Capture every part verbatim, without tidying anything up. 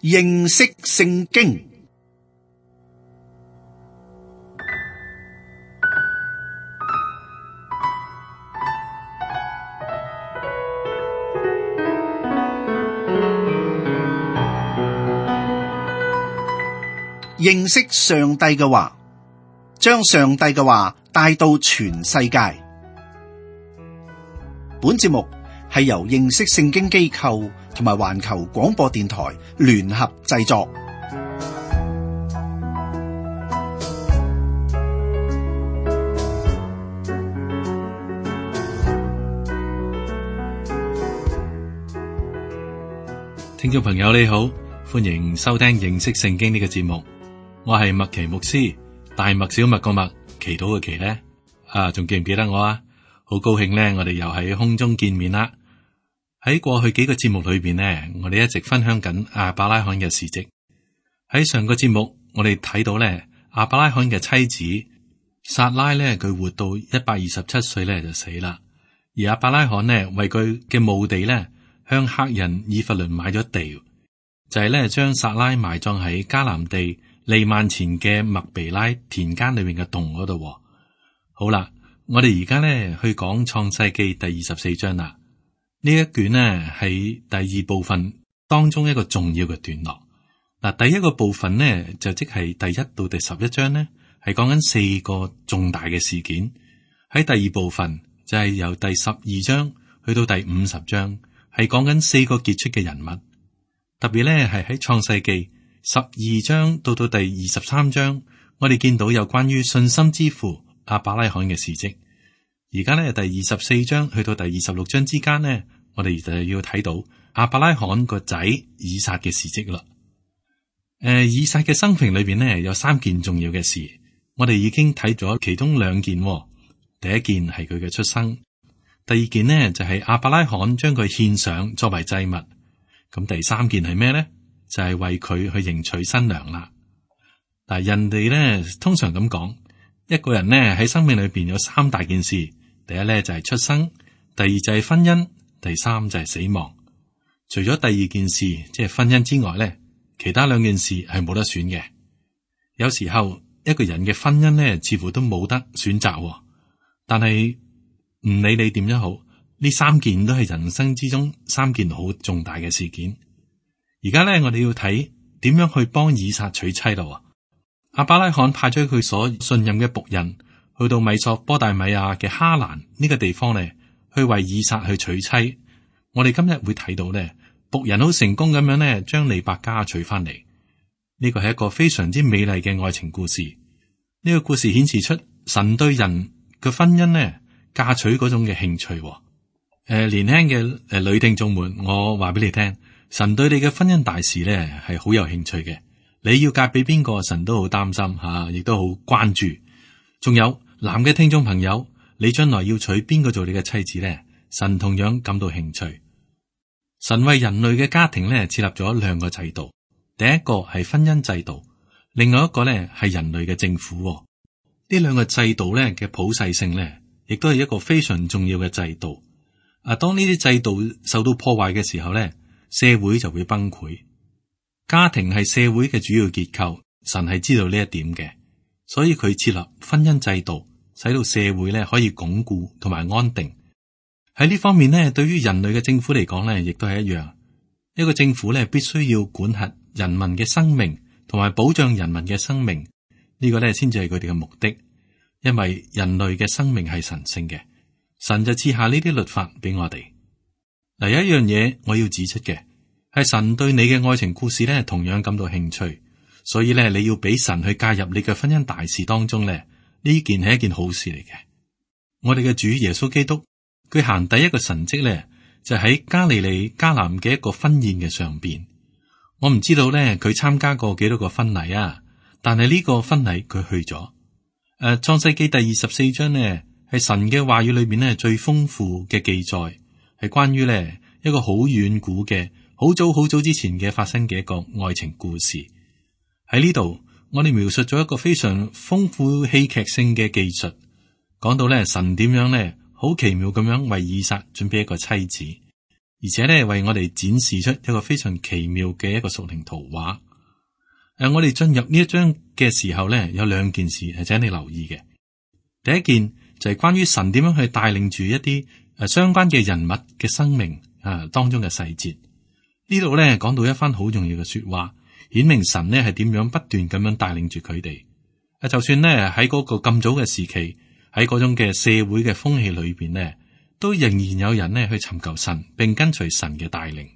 認識聖經。認識上帝嘅話，將上帝嘅話帶到全世界。本節目係由認識聖經機構同埋環球廣播電台聯合製作。聽眾朋友你好，歡迎收聽認識聖經呢個節目。我係麥奇牧師，大麥小麥個麥，祈禱嘅祈呢啊，仲記唔記得我啊？好高興呢，我哋又喺空中見面啦。喺過去幾個節目裏邊呢，我哋一直分享緊亞伯拉罕嘅事蹟。喺上個節目，我哋睇到呢，亞伯拉罕嘅妻子撒拉呢，佢活到一百二十七歲呢就死啦。而亞伯拉罕呢，為佢嘅墓地呢，向赫人以弗倫買咗地，就係呢將撒拉埋葬喺迦南地利曼前嘅麥比拉田間裏面嘅洞嗰度。好啦，我哋而家呢去講創世記第二十四章啦。呢一卷呢係第二部分當中一個重要嘅段落。嗱，第一個部分呢就即係第一到第十一章呢係講緊四個重大嘅事件。喺第二部分就係由第十二章去到第五十章係講緊四個傑出嘅人物。特別呢係喺創世記十二章到到第二十三章，我哋見到有關於信心之父亞伯拉罕嘅事蹟。而家呢，第二十四章去到第二十六章之間呢，我哋就要睇到亞伯拉罕個仔以撒嘅事蹟啦。誒、呃，以撒嘅生平裏邊呢，有三件重要嘅事，我哋已經睇咗其中兩件。第一件係佢嘅出生，第二件呢就係亞伯拉罕將佢獻上作為祭物。咁第三件係咩呢？就係為佢去迎娶新娘啦。嗱，人哋咧通常咁講，一個人咧喺生命裏邊有三大件事，第一咧就係出生，第二就係婚姻，第三就係死亡。除咗第二件事，即係婚姻之外咧，其他兩件事係冇得選嘅。有時候一個人嘅婚姻咧，似乎都冇得選擇，但係唔理你點樣好，呢三件都係人生之中三件好重大嘅事件。而家咧，我哋要睇點樣去幫以撒娶妻咯。亞伯拉罕派咗佢所信任嘅僕人去到米索波大米亞嘅哈蘭呢個地方咧，去為以撒去娶妻。我哋今日會睇到咧，僕人好成功咁樣咧，將利百加娶翻嚟。呢個係一個非常之美麗嘅愛情故事。呢個故事顯示出神對人嘅婚姻咧，嫁娶嗰種嘅興趣。誒、呃，年輕嘅誒女聽眾們，我話俾你聽。神對你嘅婚姻大事咧係好有興趣嘅，你要嫁俾邊個，神都好擔心吓，亦都好關注。仲有男嘅聽眾朋友，你將來要娶邊個做你嘅妻子咧？神同樣感到興趣。神為人類嘅家庭咧設立咗兩個制度，第一個係婚姻制度，另外一個咧係人類嘅政府。呢兩個制度咧嘅普世性咧，亦都係一個非常重要嘅制度。啊，當呢啲制度受到破壞嘅時候咧，社會就會崩潰。家庭係社會嘅主要結構，神係知道呢一點嘅，所以佢設立婚姻制度，使到社會咧可以鞏固同埋安定。喺呢方面咧，對於人類嘅政府嚟講咧，亦都係一樣。一個政府咧必須要管轄人民嘅生命，同埋保障人民嘅生命，呢個咧先至係佢哋嘅目的。因為人類嘅生命係神聖嘅，神就賜下呢啲律法俾我哋。嗱，有一樣嘢我要指出嘅，係神對你嘅愛情故事咧，同樣感到興趣，所以咧你要俾神去介入你嘅婚姻大事當中咧，呢件係一件好事嚟嘅。我哋嘅主耶穌基督，佢行第一個神蹟咧，就喺加利利迦南嘅一個婚宴嘅上邊。我唔知道咧佢參加過幾多個婚禮啊，但係呢個婚禮佢去咗。誒、呃，創世記第二十四章呢，係神嘅話語裏邊咧最豐富嘅記載。係關於咧一個好遠古嘅、好早好早之前嘅發生嘅一個愛情故事。喺呢度，我哋描述咗一個非常豐富戲劇性嘅技術，講到咧神點樣咧好奇妙咁樣為以撒準備一個妻子。而且咧為我哋展示出一個非常奇妙嘅一個屬靈圖畫。誒、呃，我哋進入呢一章嘅時候咧，有兩件事係請你留意嘅。第一件就係關於神點樣去帶領住一啲誒相關嘅人物嘅生命啊當中嘅細節。呢度咧講到一番好重要嘅說話，顯明神咧係點樣不斷咁樣帶領住佢哋。誒，就算咧喺嗰個咁早嘅時期，喺嗰種嘅社會嘅風氣裏邊咧，都仍然有人咧去尋求神，並跟隨神嘅帶領。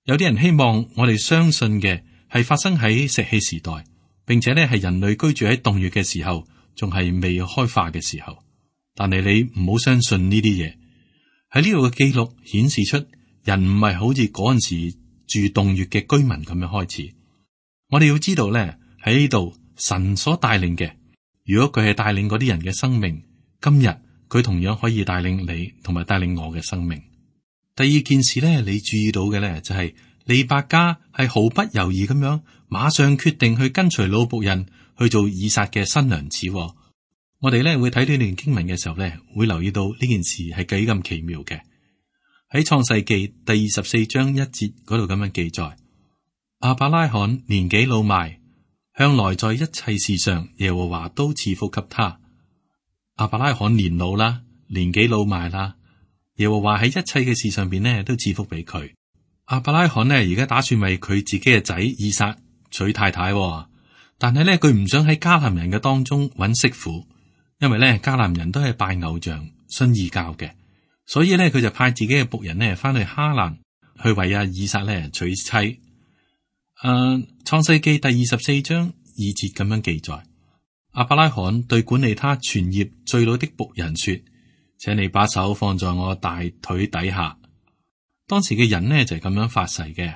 有啲人希望我哋相信嘅係發生喺石器時代，並且咧係人類居住喺洞穴嘅時候，仲係未開化嘅時候。但係你唔好相信呢啲嘢。喺呢度嘅記錄顯示出，人唔係好似嗰陣時住洞穴嘅居民咁樣開始。我哋要知道咧，喺呢度神所帶領嘅，如果佢係帶領嗰啲人嘅生命，今日佢同樣可以帶領你同埋帶領我嘅生命。第二件事咧，你注意到嘅咧就係、是、利百加係毫不猶豫咁樣，馬上決定去跟隨老僕人去做以撒嘅新娘子。我哋咧會睇呢段經文嘅時候咧，會留意到呢件事係幾咁奇妙嘅。喺創世記第二十四章一節嗰度咁樣記載：亞伯拉罕年紀老邁，向來在一切事上耶和華都賜福給他。亞伯拉罕年老啦，年紀老邁啦，耶和華喺一切嘅事上邊呢都賜福俾佢。亞伯拉罕呢而家打算為佢自己嘅仔以撒娶太太，但係呢佢唔想喺迦南人嘅當中揾媳婦，因為呢迦南人都係拜偶像、信異教嘅。所以咧，佢就派自己嘅僕人呢翻去哈蘭，去為阿以撒咧娶妻。誒、呃，創世記第二十四章二節咁樣記載：亞伯拉罕對管理他全業最老的僕人說，請你把手放在我大腿底下。當時嘅人呢就係、是、咁樣發誓嘅，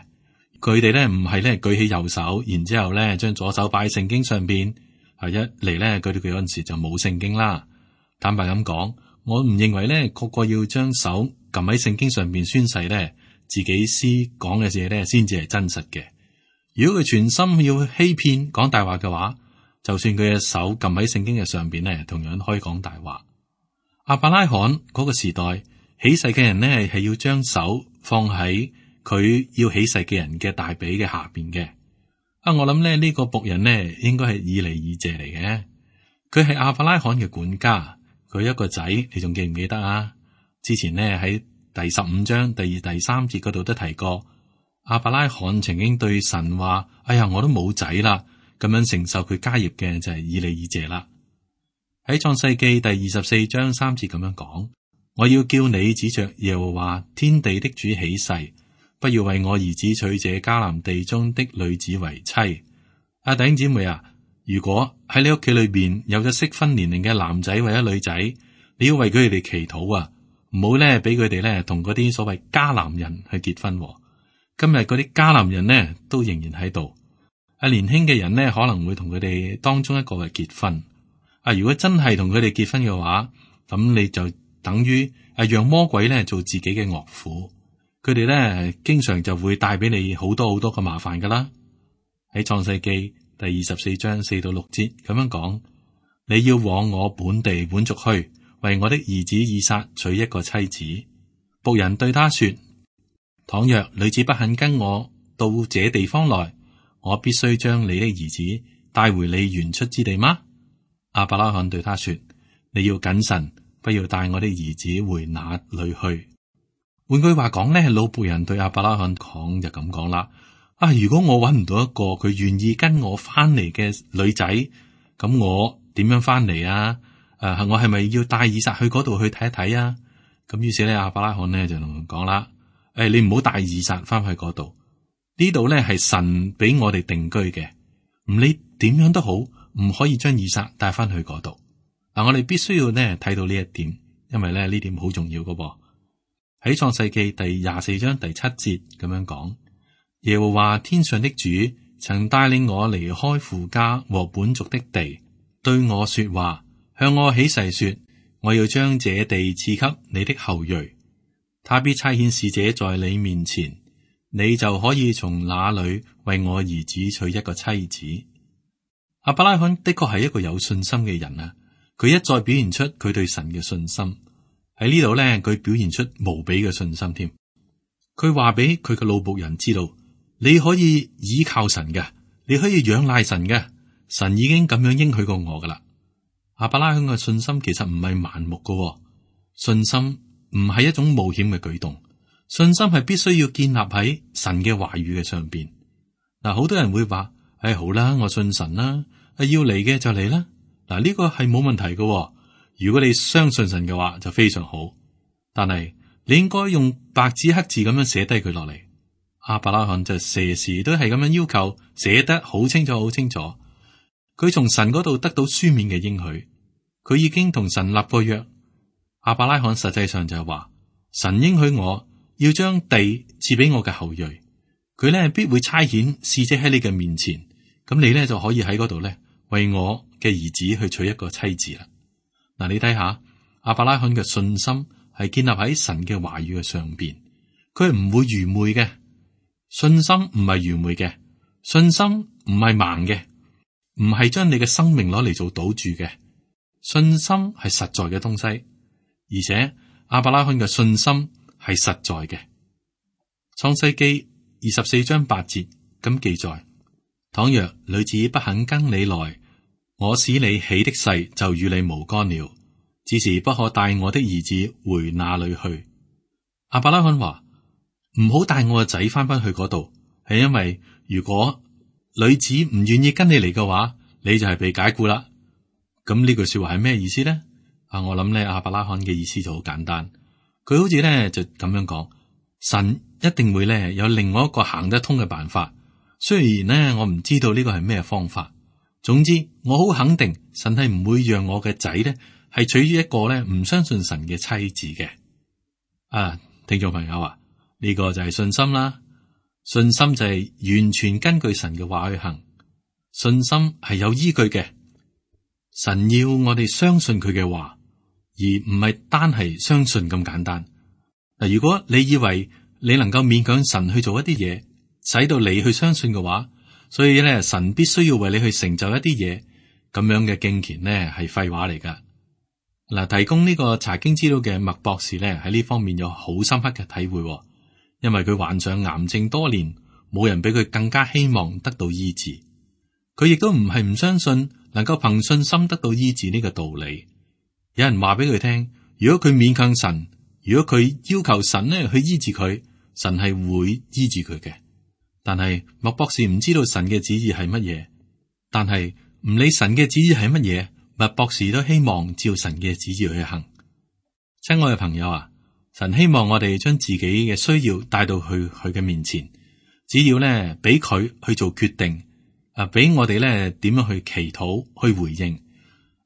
佢哋咧唔係咧舉起右手，然之後咧將左手擺喺聖經上邊。係一嚟咧，佢哋嗰陣時就冇聖經啦。坦白咁講，我唔認為咧，個個要將手撳喺聖經上邊宣誓咧，自己詩講嘅嘢咧，先至係真實嘅。如果佢全心要欺騙講大話嘅話，就算佢嘅手撳喺聖經嘅上邊咧，同樣可以講大話。亞伯拉罕嗰個時代起誓嘅人呢，係要將手放喺佢要起誓嘅人嘅大髀嘅下邊嘅。啊，我諗咧呢個僕人呢，應該係以利以謝嚟嘅，佢係亞伯拉罕嘅管家。佢一個仔，你仲記唔記得啊？之前呢喺第十五章第二、第三節嗰度都提過，亞伯拉罕曾經對神話：哎呀，我都冇仔啦，咁樣承受佢家業嘅就係以利以謝啦。喺創世記第二十四章三節咁樣講：我要叫你指着耶和華天地的主起誓，不要為我兒子娶這迦南地中的女子為妻。阿弟兄姊妹啊！如果喺你屋企裏邊有咗適婚年齡嘅男仔或者女仔，你要為佢哋祈禱啊，唔好咧俾佢哋咧同嗰啲所謂迦南人去結婚。今日嗰啲迦南人呢都仍然喺度。啊，年輕嘅人呢可能會同佢哋當中一個嘅結婚。啊，如果真係同佢哋結婚嘅話，咁你就等於啊讓魔鬼咧做自己嘅岳父。佢哋咧經常就會帶俾你好多好多嘅麻煩噶啦。喺創世記第二十四章四到六節咁樣講：你要往我本地本族去，為我的兒子以撒娶一個妻子。僕人對他說：倘若女子不肯跟我到這地方來，我必須將你的兒子帶回你原出之地嗎？亞伯拉罕對他說：你要謹慎，不要帶我的兒子回那裏去。換句話講呢，老僕人對亞伯拉罕講就咁講啦。啊！如果我揾唔到一個佢願意跟我翻嚟嘅女仔，咁我點樣翻嚟啊？誒、啊，我係咪要帶以撒去嗰度去睇一睇啊？咁於是咧，亞伯拉罕咧就同佢講啦：誒、哎，你唔好帶以撒翻去嗰度，呢度咧係神俾我哋定居嘅，唔理點樣都好，唔可以將以撒帶翻去嗰度。嗱、啊，我哋必須要咧睇到呢一點，因為咧呢點好重要噶噃。喺創世記第廿四章第七節咁樣講。耶和華天上的主曾帶領我離開父家和本族的地，對我說話，向我起誓說：我要將這地賜給你的後裔，他必差遣使者在你面前，你就可以從那裏為我兒子娶一個妻子。亞伯拉罕的確係一個有信心嘅人啊！佢一再表現出佢對神嘅信心，喺呢度咧，佢表現出無比嘅信心添。佢話俾佢嘅老僕人知道，你可以倚靠神嘅，你可以仰賴神嘅，神已經咁樣應許過我噶啦。亞伯拉罕嘅信心其實唔係盲目嘅，信心唔係一種冒險嘅舉動，信心係必須要建立喺神嘅話語嘅上邊。嗱，好多人會話：唉、哎，好啦，我信神啦，要嚟嘅就嚟啦。嗱，呢個係冇問題嘅。如果你相信神嘅話，就非常好。但係你應該用白紙黑字咁樣寫低佢落嚟。亞伯拉罕就時時都係咁樣要求，寫得好清楚，好清楚。佢從神嗰度得到書面嘅應許，佢已經同神立過約。亞伯拉罕實際上就係話，神應許我要將地賜俾我嘅後裔，佢咧必會差遣使者喺你嘅面前，咁你咧就可以喺嗰度咧為我嘅兒子去娶一個妻子啦。嗱，你睇下亞伯拉罕嘅信心係建立喺神嘅話語嘅上邊，佢係唔會愚昧嘅。信心唔係愚昧嘅，信心唔係盲嘅，唔係將你嘅生命攞嚟做賭注嘅。信心係實在嘅東西，而且亞伯拉罕嘅信心係實在嘅。創世記二十四章八節咁記載：倘若女子不肯跟你來，我使你起的誓就與你無干了，只是不可帶我的兒子回那裏去。亞伯拉罕話：唔好帶我個仔翻返去嗰度，係因為如果女子唔願意跟你嚟嘅話，你就係被解雇啦。咁呢句說話係咩意思咧？啊，我諗咧亞伯拉罕嘅意思就好簡單，佢好似咧就咁樣講：神一定會咧有另外一個行得通嘅辦法。雖然咧我唔知道呢個係咩方法，總之我好肯定神係唔會讓我嘅仔咧係娶於一個咧唔相信神嘅妻子嘅。啊，聽眾朋友啊，呢個就係信心啦。信心就係完全根據神嘅話去行，信心係有依據嘅。神要我哋相信佢嘅話，而唔係單係相信咁簡單。嗱，如果你以為你能夠勉強神去做一啲嘢，使到你去相信嘅話，所以咧神必須要為你去成就一啲嘢，咁樣嘅敬虔呢係廢話嚟噶。嗱，提供呢個查經資料嘅麥博士咧喺呢方面有好深刻嘅體會，因為佢患上癌症多年，冇人比佢更加希望得到醫治。佢亦都唔係唔相信能夠憑信心得到醫治呢個道理。有人話俾佢聽，如果佢勉強神，如果佢要求神呢去醫治佢，神係會醫治佢嘅。但係麥博士唔知道神嘅旨意係乜嘢，但係唔理神嘅旨意係乜嘢，麥博士都希望照神嘅旨意去行。親愛嘅朋友啊，神希望我哋將自己嘅需要帶到去佢嘅面前，只要咧俾佢去做決定，啊，俾我哋咧點樣去祈禱去回應。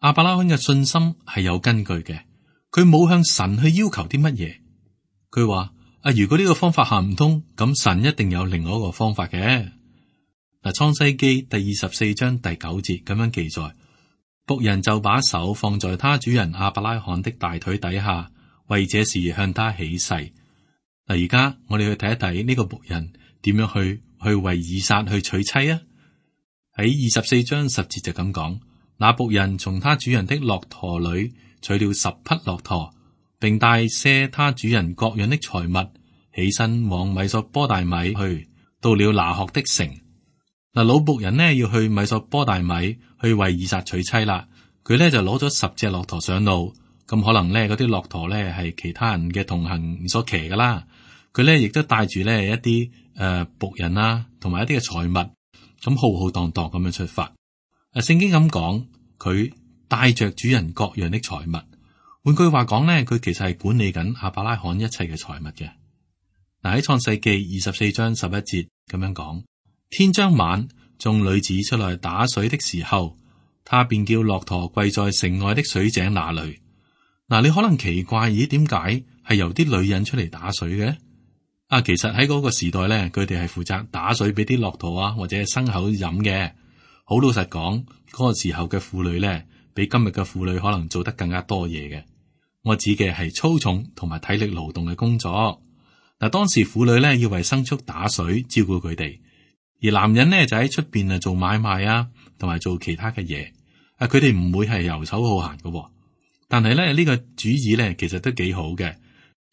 亞伯拉罕嘅信心係有根據嘅，佢冇向神去要求啲乜嘢。佢話啊，如果呢個方法行唔通，咁神一定有另外一個方法嘅。嗱，創世記第二十四章第九節咁樣記載：僕人就把手放在他主人亞伯拉罕的大腿底下，為這事向他起誓。嗱，而家我哋去睇一睇呢個僕人點樣去去為以撒去娶妻啊。喺二十四章十節就咁講：那僕人從他主人的駱駝裏取了十匹駱駝，並帶些他主人各樣的財物，起身往米索波大米去，到了拿鶴的城。嗱，老僕人呢要去米索波大米去為以撒娶妻啦。佢呢就攞咗十隻駱駝上路，咁可能呢嗰啲駱駝呢係其他人嘅同行所騎噶啦。佢呢亦都帶住呢一啲誒僕人啊，同埋一啲嘅財物。咁浩浩蕩蕩咁樣出發。誒，聖經咁講，佢帶着主人各樣的財物。換句話講咧，佢其實係管理緊亞伯拉罕一切嘅財物嘅。嗱，喺創世記二十四章十一節咁樣講：天將晚，眾女子出來打水的時候，他便叫駱駝跪在城外的水井那裏。嗱，你可能奇怪，咦，點解係由啲女人出嚟打水嘅？啊，其實喺嗰個時代咧，佢哋係負責打水俾啲駱駝啊，或者係牲口飲嘅。好老實講，嗰個時候嘅婦女咧，比今日嘅婦女可能做得更加多嘢嘅。我指嘅係粗重同埋體力勞動嘅工作。嗱，當時婦女咧要為牲畜打水，照顧佢哋，而男人咧就喺出邊啊做買賣啊，同埋做其他嘅嘢。啊，佢哋唔會係游手好閒嘅。但係咧呢個主意咧，其實都幾好嘅。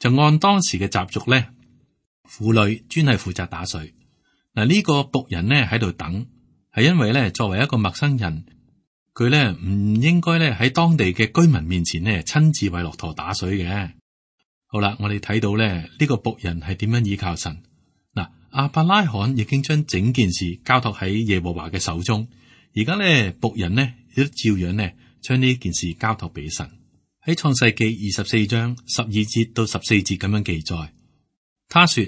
就按當時嘅習俗咧。婦女專係負責打水。嗱，呢個僕人呢喺度等，係因為咧作為一個陌生人，佢咧唔應該咧喺當地嘅居民面前咧親自為駱駝打水嘅。好啦，我哋睇到咧呢個僕人係點樣依靠神。嗱，亞伯拉罕已經將整件事交託喺耶和華嘅手中，而家咧僕人呢亦都照樣呢將呢件事交託俾神。喺創世記二十四章十二節到十四節咁樣記載，他說：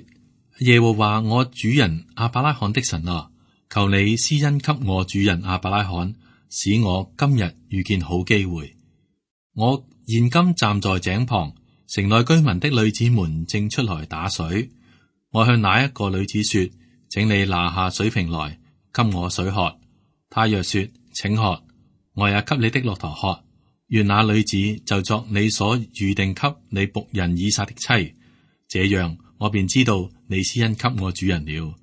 耶和華我主人亞伯拉罕的神啊，求你施恩給我主人亞伯拉罕，使我今日遇見好機會。我現今站在井旁，城內居民的女子們正出來打水。我向那一個女子說：請你拿下水瓶來，給我水喝。她若說：請喝，我也給你的駱駝喝。願那女子就作你所預定給你僕人以撒的妻，這樣我便知道你施恩給我主人了。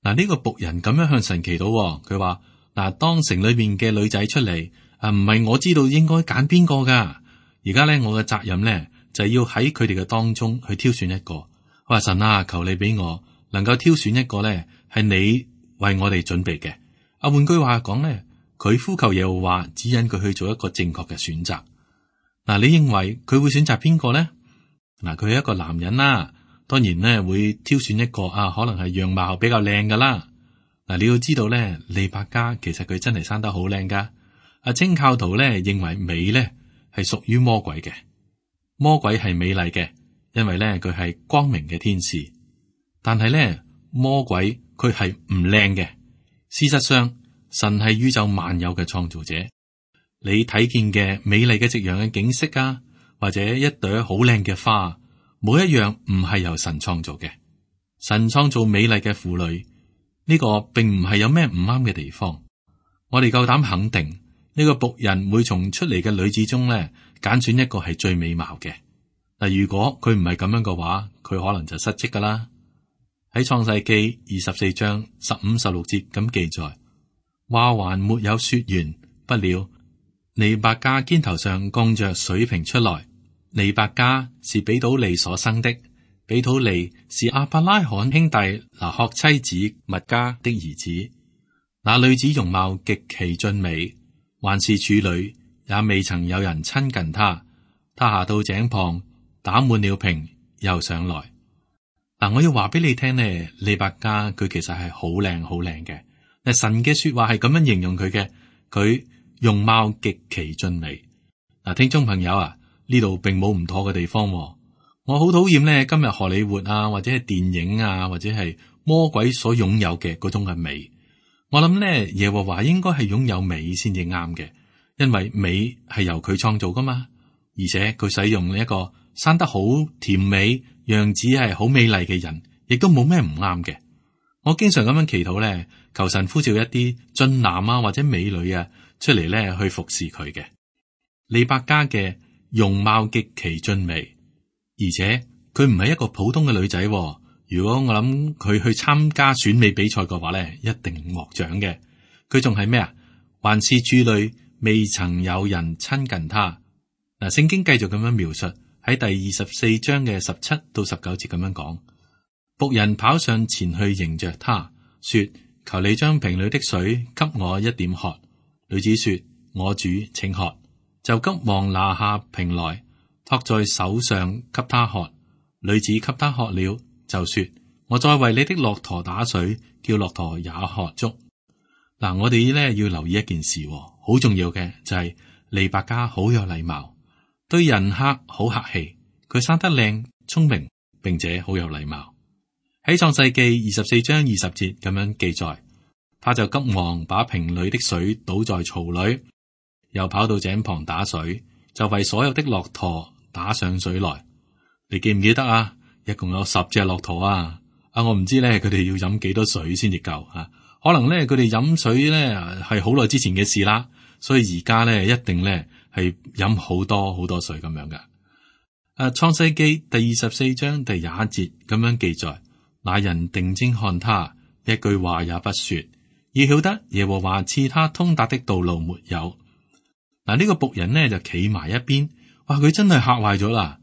嗱，呢個僕人咁樣向神祈禱，佢話：嗱，當城裏面嘅女仔出嚟，啊，唔係我知道應該揀邊個噶，而家咧我嘅責任咧就係要喺佢哋嘅當中去挑選一個。我話神啊，求你俾我能夠挑選一個咧係你為我哋準備嘅。啊，換句話講咧。佢呼求耶和華指引佢去做一個正確嘅選擇。嗱，你認為佢會選擇邊個呢？嗱，佢係一個男人啦，當然咧會挑選一個啊，可能係樣貌比較靚噶啦。嗱，你要知道咧，利百加其實佢真係生得好靚噶。阿清教徒咧認為美咧係屬於魔鬼嘅，魔鬼係美麗嘅，因為咧佢係光明嘅天使。但係咧魔鬼佢係唔靚嘅。事實上，神係宇宙萬有嘅創造者，你睇見嘅美麗嘅夕陽嘅景色啊，或者一朵好靚嘅花，冇一樣唔係由神創造嘅。神創造美麗嘅婦女，呢個並唔係有咩唔啱嘅地方。我哋夠膽肯定，呢個僕人會從出嚟嘅女子中咧揀選一個係最美貌嘅。嗱，如果佢唔係咁樣嘅話，佢可能就失職噶啦。喺創世記二十四章十五、十六節咁記載。話還沒有說完，不料利百加肩頭上降着水瓶出來。利百加是比土利所生的，比土利是亞伯拉罕兄弟拿鶴妻子密加的兒子。那女子容貌極其俊美，還是處女，也未曾有人親近她。她下到井旁，打滿了瓶，又上來。嗱，我要話俾你聽呢，利百加佢其實係好靚好靚嘅。神嘅說話係咁樣形容佢嘅，佢容貌極其俊美。嗱，聽眾朋友啊，呢度並冇唔妥嘅地方。我好討厭咧，今日荷里活啊，或者係電影啊，或者係魔鬼所擁有嘅嗰種嘅美。我諗咧，耶和華應該係擁有美先至啱嘅，因為美係由佢創造噶嘛，而且佢使用一個生得好甜美、樣子係好美麗嘅人，亦都冇咩唔啱嘅。我經常咁樣祈禱咧，求神呼召一啲俊男啊或者美女啊出嚟咧去服侍佢嘅。利百加嘅容貌極其俊美，而且佢唔係一個普通嘅女仔。如果我諗佢去參加選美比賽嘅話咧，一定獲獎嘅。佢仲係咩啊？還是處女，未曾有人親近她。嗱，聖經繼續咁樣描述喺第二十四章嘅十七到十九節咁樣講。僕人跑上前去迎着他，說：求你將瓶裏的水給我一點喝。女子說：我主，請喝。就急忙拿下瓶來，托在手上給他喝。女子給他喝了，就說：我再為你的駱駝打水，叫駱駝也喝足。嗱，我哋咧要留意一件事，好重要嘅就係利百加好有禮貌，對人客好客氣，佢生得靚、聰明，並且好有禮貌。喺創世記二十四章二十節咁樣記載，他就急忙把瓶裏的水倒在槽裏，又跑到井旁打水，就為所有的駱駝打上水來。你記唔記得啊？一共有十隻駱駝啊！啊，我唔知咧，佢哋要飲幾多水先至夠啊？可能咧，佢哋飲水咧係好耐之前嘅事啦，所以而家咧一定咧係飲好多好多水咁樣噶。誒，創世記第二十四章第廿一節咁樣記載。那人定睛看他，一句話也不說，要曉得耶和華賜他通達的道路沒有。嗱，呢個僕人呢就企埋一邊，哇！佢真係嚇壞咗啦。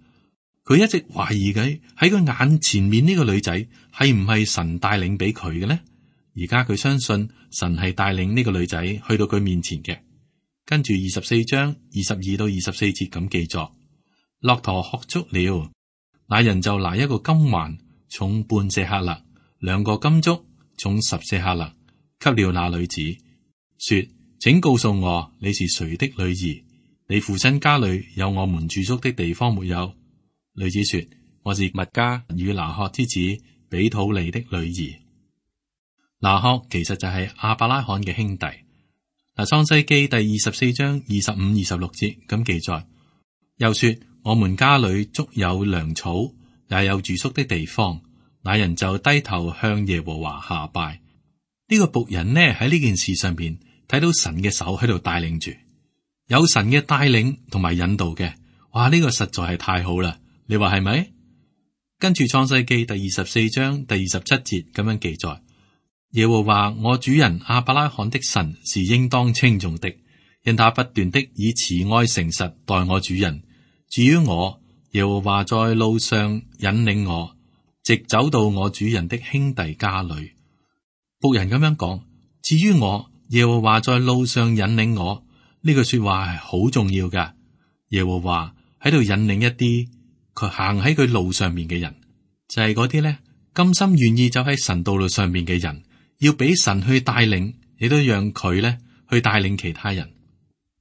佢一直懷疑佢喺佢眼前面呢個女仔係唔係神帶領俾佢嘅呢？而家佢相信神係帶領呢個女仔去到佢面前嘅。跟住二十四章二十二到二十四節咁記載，駱駝喝足了，那人就拿一個金環重半舍客勒，兩個金足重十舍客勒，給了那女子，說：請告訴我你是誰的女兒？你父親家裏有我們住宿的地方沒有？女子說：我是密加與拿鶴之子比土利的女兒。拿鶴其實就係亞伯拉罕嘅兄弟。嗱，創世記第二十四章二十五、二十六節咁記載，又說：我們家裏足有糧草，也有住宿的地方。那人就低頭向耶和華下拜。呢、這個僕人呢喺呢件事上邊睇到神嘅手喺度帶領住，有神嘅帶領同埋引導嘅。哇！呢、這個實在係太好啦，你話係咪？跟住創世記第二十四章第二十七節咁樣記載。耶和華我主人亞伯拉罕的神是應當稱頌的，因他不斷的以慈愛誠實待我主人。至於我，耶和華在路上引領我，直走到我主人的兄弟家裏。僕人咁樣講，至於我，耶和華在路上引領我，呢句說話係好重要噶。耶和華喺度引領一啲佢行喺佢路上面嘅人，就係嗰啲咧甘心願意走喺神道路上面嘅人。要俾神去帶領，亦都讓佢咧去帶領其他人，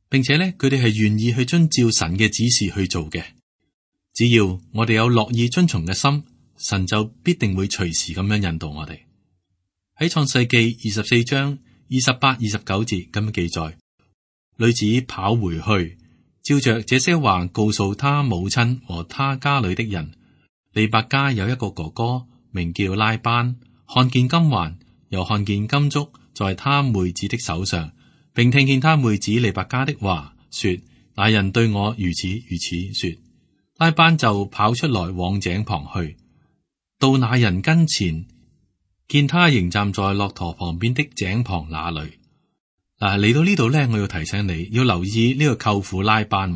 並且咧佢哋係願意去遵照神嘅指示去做嘅。只要我哋有樂意遵從嘅心，神就必定會隨時咁樣引導我哋。喺創世記二十四章二十八、二十九節咁樣記載，女子跑回去，照着這些話告訴他母親和他家裏的人。利百加有一個哥哥名叫拉班，看見金環，又看見金足在他妹子的手上，並聽見他妹子利百加的話，說：那人對我如此如此說。拉班就跑出來往井旁去，到那人跟前，見他仍站在駱駝旁邊的井旁那裏。嗱，嚟到呢度呢，我要提醒你要留意呢個舅父拉班。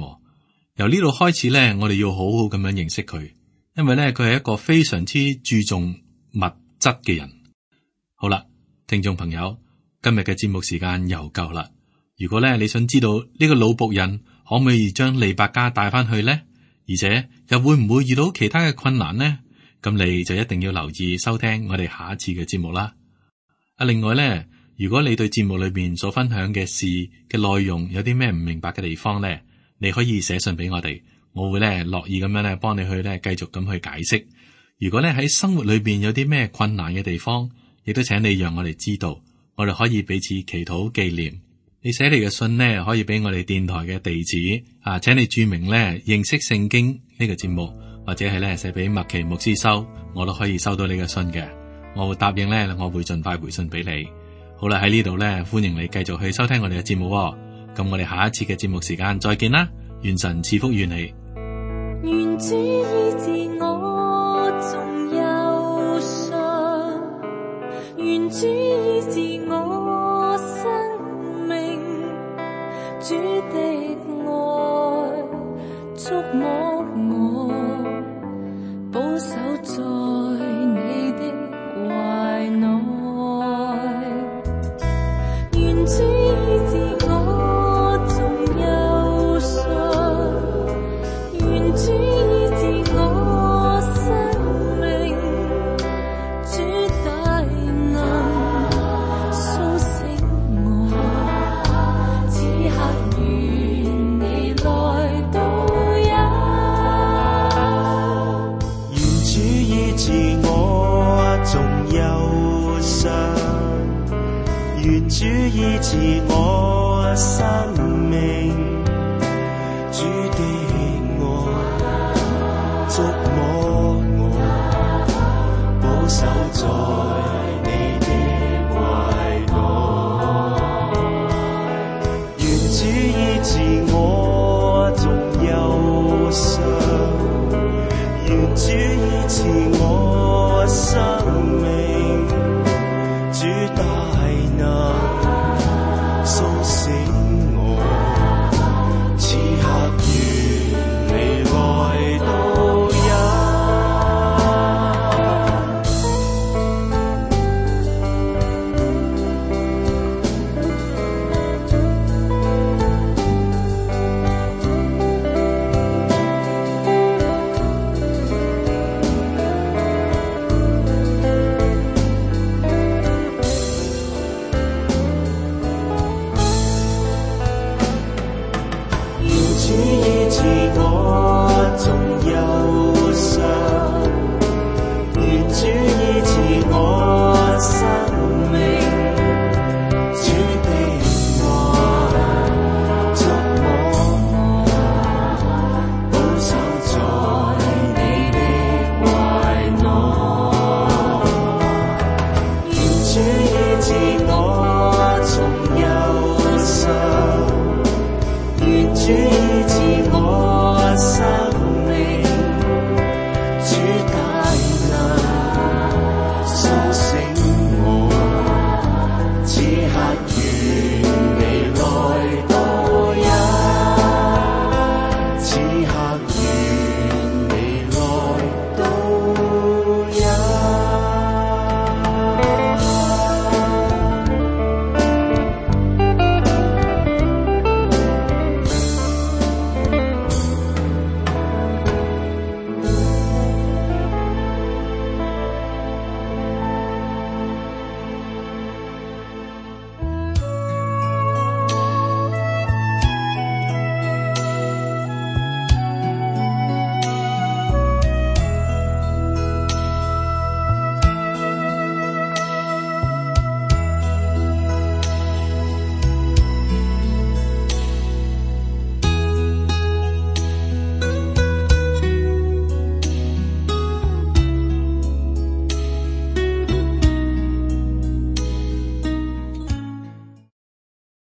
由呢度開始呢，我哋要好好咁樣認識佢，因為呢，佢係一個非常之注重物質嘅人。好啦，聽眾朋友，今日嘅節目時間又夠啦。如果咧你想知道呢個老僕人可唔可以將利百加帶翻去呢？而且又會唔會遇到其他嘅困難呢？咁你就一定要留意收聽我哋下一次嘅節目啦。啊，另外咧，如果你對節目裏邊所分享嘅事嘅內容有啲咩唔明白嘅地方咧，你可以寫信俾我哋，我會咧樂意咁樣咧幫你去咧繼續咁去解釋。如果咧喺生活裏邊有啲咩困難嘅地方，亦都請你讓我哋知道，我哋可以彼此祈禱紀念。你寫嚟嘅信呢，可以俾我哋電台嘅地址啊，請你注明咧認識聖經呢個節目，或者係咧寫俾麥奇牧師收，我都可以收到你嘅信嘅。我會答應咧，我會盡快回信俾你。好啦，喺呢度咧，歡迎你繼續去收聽我哋嘅節目。咁我哋下一次嘅節目時間再見啦，願神賜福與你。願主醫治我縱憂傷，願主醫治我生命，主的愛觸摸我，保守在你的懷內，願主醫治我縱憂傷，願主醫治我生命，主大能甦醒我，此刻願你來導引。願主醫治我縱憂傷，願主醫治我生命，主的愛觸摸我，保守在你的懷內，願主醫治我縱憂傷，願主醫治我生命，主大能甦醒我，此刻願醫治我，仲憂